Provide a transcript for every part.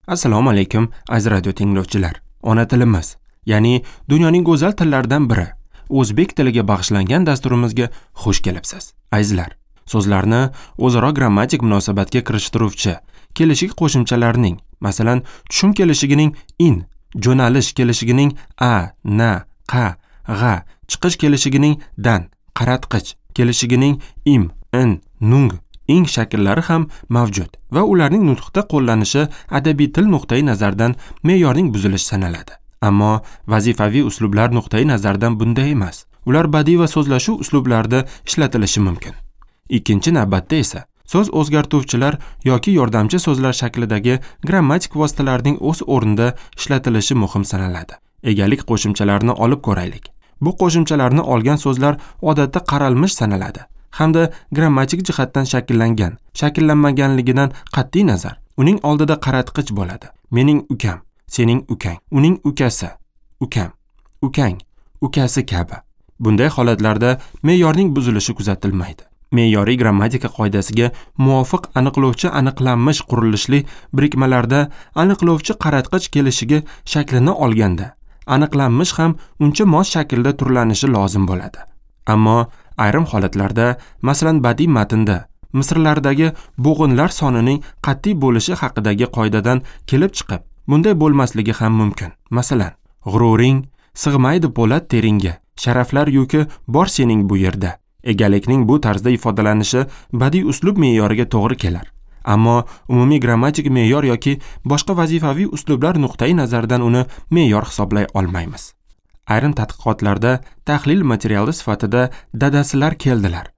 Assalomu alaykum, aziz radio tinglovchilar. Ona tilimiz, ya'ni dunyoning go'zal tillaridan biri, o'zbek tiliga bag'ishlangan dasturimizga xush kelibsiz. Azizlar, so'zlarni o'zaro grammatik munosabatga kirishtiruvchi kelishik qo'shimchalarining, masalan, tushum kelishigining in, jo'nalish kelishigining a, na, qa, g'a, chiqish kelishigining dan, qaratqich kelishigining im, in, nung, ing shakllari ham mavjud va ularning nutqda qo'llanishi adabiy til nuqtai nazaridan me'yorning buzilishi sanaladi. Ammo vazifaviy uslublar nuqtai nazaridan bunday emas. Ular badiiy va so'zlashuv uslublarida ishlatilishi mumkin. Ikkinchi navbatda esa so'z o'zgartuvchilar yoki yordamchi so'zlar shaklidagi grammatik vositalarning o'z o'rnida ishlatilishi muhim sanaladi. Egalik qo'shimchalarini olib ko'raylik. Bu qo'shimchalarni olgan so'zlar odatda qaralmish sanaladi hamda grammatik jihatdan shakllangan, shakllanmaganligidan qat'iy nazar uning oldida qaratqich bo'ladi. Mening ukam, sening ukang, uning ukasi, ukam, ukang, ukasi kabi. Bunday holatlarda me'yorning buzilishi kuzatilmaydi. Me'yoriy grammatika qoidasiga muvofiq aniqlovchi aniqlanmish qurilishli birikmalarda aniqlovchi qaratqich kelishiga shaklini olganda aniqlanmish ham uncha mos shaklda turlanishi lozim bo'ladi. Ammo ayrim holatlarda, masalan, badiiy matnda misrlardagi bo'g'inlar sonining qat'iy bo'lishi haqidagi qoidadan kelib chiqib, bunday bo'lmasligi ham mumkin. Masalan, g'ururing sig'maydi po'lat teringga, sharaflar yuki bor sening bu yerda. Egalikning bu tarzda ifodalanishi badiiy uslub me'yoriga to'g'ri kelar. Ammo umumiy grammatik me'yor yoki boshqa vazifaviy uslublar nuqtai nazaridan uni me'yor hisoblay olmaymiz. Ayrim tadqiqotlarda tahlil materiali sifatida dadasilar keldilar,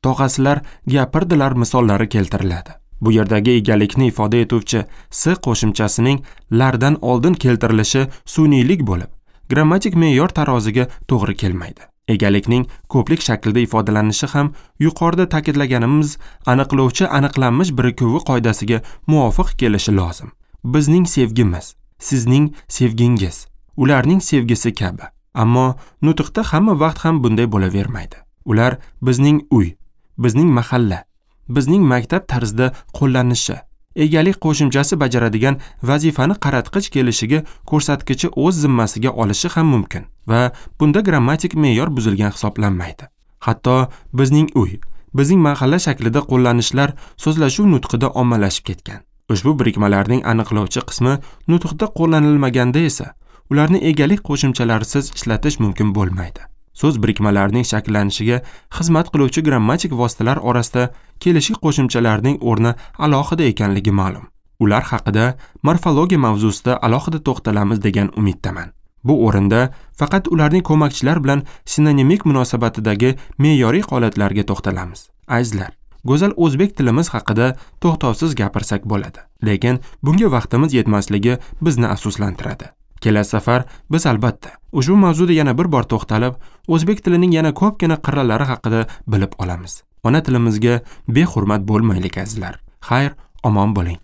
tog'asilar gapirdilar misollari keltiriladi. Bu yerdagi egalikni ifoda etuvchi s qo'shimchasining lardan oldin keltirilishi sun'iylik bo'lib, grammatik me'yor taroziga to'g'ri kelmaydi. Egalikning ko'plik shaklida ifodalanishi ham yuqorida ta'kidlaganimiz aniqlovchi aniqlanmish birikuvi qoidasiga muvofiq kelishi lozim. Bizning sevgimiz, sizning sevgingiz, ularning sevgisi kabi. Ammo nutqda hamma vaqt ham bunday bo'lavermaydi. Ular bizning uy, bizning mahalla, bizning maktab tarzida qo'llanishi, egalik qo'shimchasi bajaradigan vazifani qaratqich kelishiga ko'rsatkichi o'z zimmasiga olishi ham mumkin va bunda grammatik me'yor buzilgan hisoblanmaydi. Hatto bizning uy, bizning mahalla shaklida qo'llanishlar so'zlashuv nutqida ommalashib ketgan. Ushbu birikmalarning aniqlovchi qismi nutqda qo'llanilmaganda esa ularni egalik qo'shimchalarisiz ishlatish mumkin bo'lmaydi. So'z birikmalarining shakllanishiga xizmat qiluvchi grammatik vositalar orasida kelishik qo'shimchalarning o'rni alohida ekanligi ma'lum. Ular haqida morfologiya mavzusida alohida to'xtalamiz degan umiddaman. Bu o'rinda faqat ularning ko'makchilar bilan sinonimik munosabatidagi me'yoriy holatlarga to'xtalamiz. Azizlar, go'zal o'zbek tilimiz haqida to'xtovsiz gapirsak bo'ladi. Lekin bunga vaqtimiz yetmasligi bizni afsuslantiradi. Kelasi safar biz albatta ushbu mavzuda yana bir bor to'xtalib, o'zbek tilining yana ko'pgina qirralari haqida bilib olamiz. Ona tilimizga behurmat bo'lmaylik azizlar. Xayr, omon bo'ling.